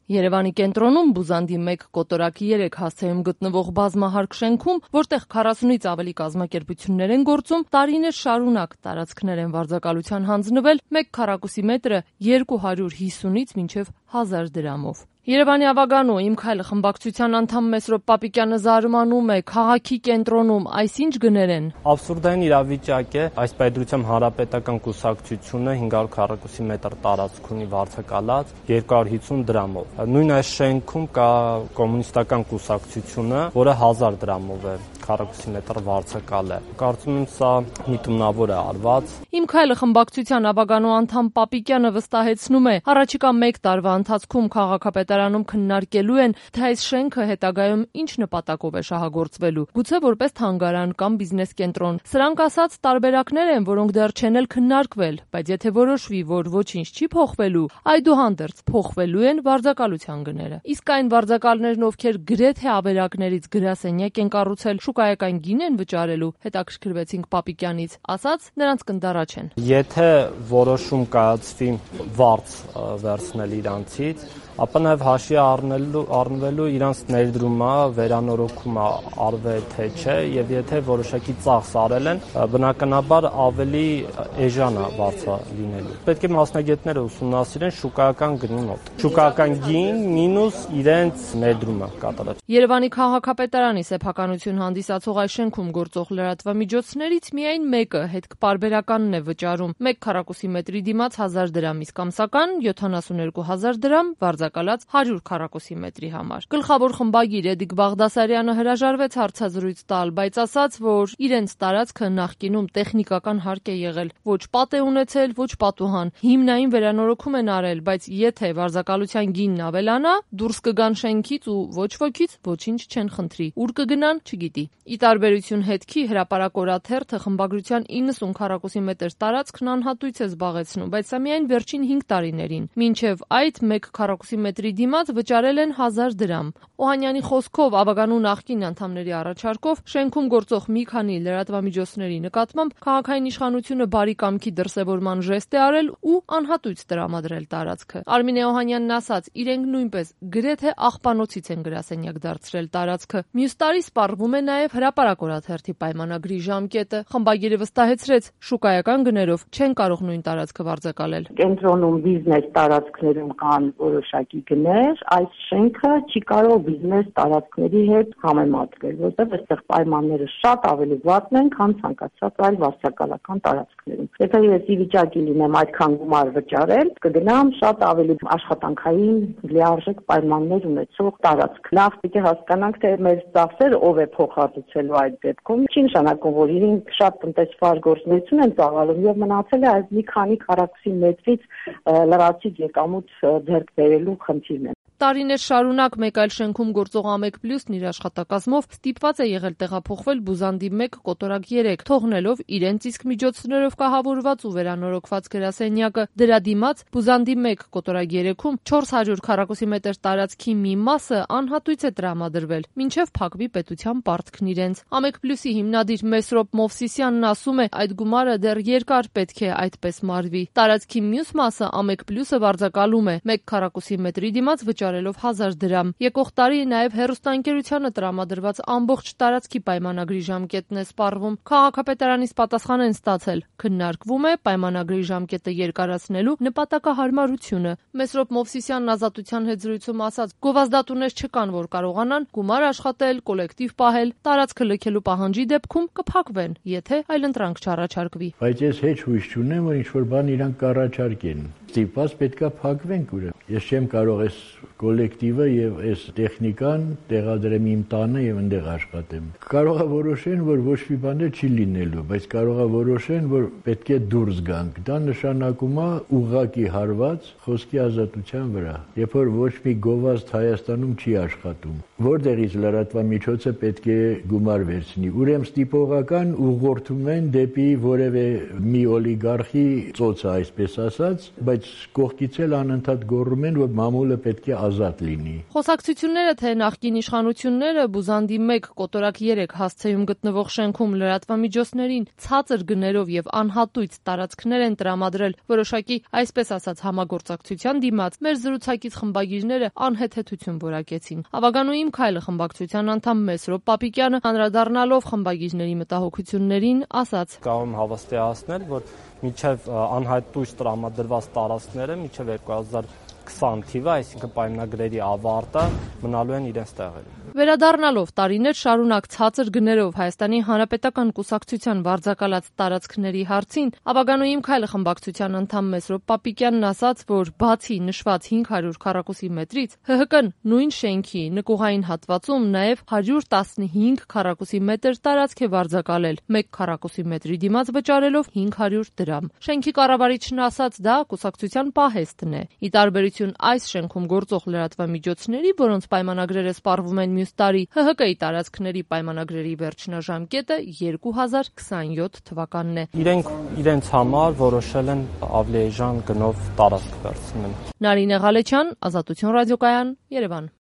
Երևանի կենտրոնում Բուզանդի 1 կոտորակի 3 հասցեում գտնվող բազմահարկ շենքում, որտեղ 40-ից ավելի կազմակերպություններ են գործում, տարիներ շարունակ տարածքներ են վարձակալության հանձնվել 1 քառակուսի մետրը 250-ից մինչև 1000 դրամով։ Երևանի Ավագանու «Իմ քայլը» խմբակցության անդամ Մեսրոպ Պապիկյանը զարմանում է քաղաքի կենտրոնում այս ինչ գներ են։ Աբսուրդային իրավիճակ է, այս պայդրությամբ հանրապետական կուսակցությունը 500 քառակուսի մետր տարածք ունի վարձակալած 250 դրամով։ Նույն այս շենքում կա կոմունիստական կուսակցությունը, որը 1000 դրամով է քառակուսի մետր վարձակալ է։ Կարծում եմ սա միտումնավոր է արված։ «Իմ քայլը» խմբակցության Ավագանու անդամ Պապիկյանը վստահեցնում է, առաջիկա 1 տարվա ընթացքում քաղաքապետարանում քննարկելու են, թե այս շենքը հետագայում ինչ նպատակով է շահագործվելու, գուցե որպես թանգարան կամ բիզնես կենտրոն։ Սրանք ասած տարբերակներ են, որոնք դեռ չեն էլ քննարկվել, բայց եթե որոշվի, որ ոչինչ չի փոխվելու, այդուհանդերձ փոխվելու են վարձակալության գները։ Իսկ այն վարձակալներն, ովքեր գրեթե ավերակներից գրասենյակ են կառուցել, շուկայական գին են վճարելու, հետաքրքրվեցինք Պապիկյանից, ասաց նրանց կնդառաջեն։ Եթե որոշում կայացվի վարձ վերցնել իրանցից, ապա նաև հաշվի առնվելու իրանց ներդրումը, վերանորոգումը արվե թե չէ, եւ եթե որոշակի ծախս արել են, բնականաբար ավելի էժան է վարձը լինելու։ Պետք է մասնագետները ուսումնասիրեն շուկայական գնի մոտ։ Շուկայական գին մինուս իրենց ներդրումը կատարած։ Երևանի քաղաքապետարանի սեփականություն հանդիսացող այս շենքում գործող լրատվամիջոցներից միայն մեկը հետքպարբերականն է վճարում 1 քառակուսի մետրի դիմաց 1000 դրամ, իսկ ամսական 72000 դրամ վարձակալած 100 քառակուսի մետրի համար։ Գլխավոր խմբագիր Էդիկ Բաղդասարյանը հրաժարվեց հարցազրույց տալ, բայց ասաց, որ իրենց տարածքը նախկինում տեխնիկական հարկ է եղել, ոչ պատ է ունեցել, ոչ պատուհան, հիմնային վերանորոգում են արել, բայց եթե վարձակալության գինն ավելանա, դուրս կգան շենքից ու ոչ ոքից ոչինչ չեն խնդրի։ Ուր կգնան, չգիտի։ Ի տարբերություն հետքի, հրապարակ օրաթերթը խմբագրության 90 քառակուսի մետր տարածքն անհատույց է զբաղեցնում, բայց սա միայն վերջին 5 տարիներին։ Մինչև այդ 1 քառակուսի մետրի դիմաց վճարել են 1000 դրամ։ Օհանյանի խոսքով Ավագանու նախկին անդամների առաջարկով շենքում գործող մի քանի լրատվամիջոցների նկատմամբ քաղաքային իշխանությունը բարի կամքի դրսևորման ժեստ է արել ու անհատույց տրամադրել տարածքը։ Արմինե Օհանյանն ասաց, իրենք նույնպես գրեթե աղբանոցից են գրասենյակ դարձրել տարածքը։ Մյուս տարի սպառվում է նաև հրապարակ օրաթերթի պայմանագրի ժամկետը։ Խմբագիրը վստահեցրեց, շուկայական գներով չեն կարող նույն տարածքը վարձակալել։ Կենտրոնում բիզնես տարածքներում կան որոշակի գներ, այս շենքը չի կարող բիզնես տարածքների հետ համեմատվել, որտեղ այստեղ պայմանները շատ ավելի վատն են, քան ցանկացած այլ վարձակալական տարածքներում։ Եթե ես ի վիճակի լինեմ այդքան գումար վճարել, կգնամ շատ ավելի աշխատանքային լիարժեք պայմաններ ունեցող տարածք։ Լավ պիտի հասկանանք, թե մեր ծախսերը ով է փոխհատուցելու այդ դեպքում։ Չի նշանակում, որ իրենք շատ տնտեսվար գործունեություն են ծավալում եւ մնացել է այս մի քանի քառակուսի մետրից լրացիչ եկամուտ ձեռք բերելու խնդիրն է։ Տարիներ շարունակ մեկ այլ շենքում գործող Ամեկ+-ն իր աշխատակազմով ստիպված է եղել տեղափոխվել Բուզանդի 1 կոտորակ 3, թողնելով իրենց իսկ միջոցներով կահավորված ու վերանորոգված գրասենյակը։ Դրա դիմաց Բուզանդի 1 կոտորակ 3-ում 400 քառակուսի մետր տարածքի մի մասը անհատույց է տրամադրվել, մինչև փակվի պետության պարտքն իրենց։ Ամեկ+-ի հիմնադիր Մեսրոպ Մովսիսյանն ասում է, այդ գումարը դեռ երկար պետք է այդպես մարվի։ Տարածքի մյուս մասը Ամեկ+-ը վարձակալում է 1 քառակուսի մետրի դիմաց վճարելով 1000 դրամ։ Եկող տարի նաև հեռուստաընկերությանը տրամադրված ամբողջ տարածքի պայմանագրի ժամկետն է սպառվում։ Քաղաքապետարանից պատասխան են ստացել։ Քննարկվում է պայմանագրի ժամկետը երկարացնելու նպատակահարմարությունը։ Մեսրոպ Մովսիսյանն Ազատության հետ զրույցում ասաց, գովազդատուներ չկան, որ կարողանան գումար աշխատել, կոլեկտիվ պահել, տարածքը լքելու պահանջի դեպքում կփակվեն, եթե այլընտրանք չառաջարկվի։ Բայց ես հեչ հույս չունեմ, որ ինչ-որ բան իրանք կառաջարկեն։ Ստիպված պետքա փակվենք ուրեմն։ Ես չեմ կարող այս կոլեկտիվը եւ այս տեխնիկան տեղադրեմ իմ տանը եւ այնտեղ աշխատեմ։ Կարող է որոշեն, որ ոչ մի բան չի լինելու, բայց կարող է որոշեն, որ պետք է դուրս գանք։ Դա նշանակում է ուղղակի հարված խոսքի ազատության վրա։ Երբ որ ոչ մի գովազդ Հայաստանում չի աշխատում, որտեղից լրատվամիջոցը պետք է գումար վերցնի։ Ուրեմն ստիպողական ուղղորդում են դեպի որևէ մի օլիգարխի ծոցը, այսպես ասած, բայց կողքից էլ անընդհատ գոռում են, որ մամուլը պետք է ազատ լինի։ Խոսակցությունները, թե նախկին իշխանությունները բուզանդի 1 կոտորակ 3 հասցեում գտնվող շենքում լրատվամիջոցներին ցածր գներով եւ անհատույց տարածքներ են տրամադրել որոշակի, այսպես ասած, համագործակցության դիմաց, մեր զրուցակից խմբագիրները անհեթեթություն որակեցին։ Ավագանուհիմ Քայլը խմբակցության անդամ Մեսրոպ Պապիկյանը անդրադառնալով խմբագիրների մտահոգություններին ասաց. Կարող եմ հավաստիացնել, որ մինչև անհայտույց տրամադրված տարածքները մինչև 2020 թիվը, այսինքն պայմանագրերի ավարտը մնալու են իրենց տեղերում։ Վերադառնալով տարիներ շարունակ ցածր գներով Հայաստանի Հանրապետական կուսակցության վարձակալած տարածքների հարցին, Ավագանուհիմ Քայլը խմբակցության անդամ Մեսրոպ Պապիկյանն ասաց, որ բացի նշված 500 քառակուսի մետրից, ՀՀԿ-ն նույն շենքի նկուղային հատվածում նաև 115 քառակուսի մետր տարածք է վարձակալել, 1 քառակուսի մետրի դիմաց վճարելով 500 դրամ։ Շենքի կառավարիչն ասաց, դա կուսակցության պահեստն է։ Ի տարբերություն այս շենքում գործող լրատվամիջոցների, որոնց պայմանագրերը սպառվում են մյուս տարի, ՀՀԿ-ի տարածքների պայմանագրերի վերջնաժամկետը 2027 թվականն է։ Իրենք իրենց համար որոշել են ավելի էժան գնով տարածք վերցնել։ Նարինե Ղալեչյան, Ազատություն ռադիոկայան, Երևան։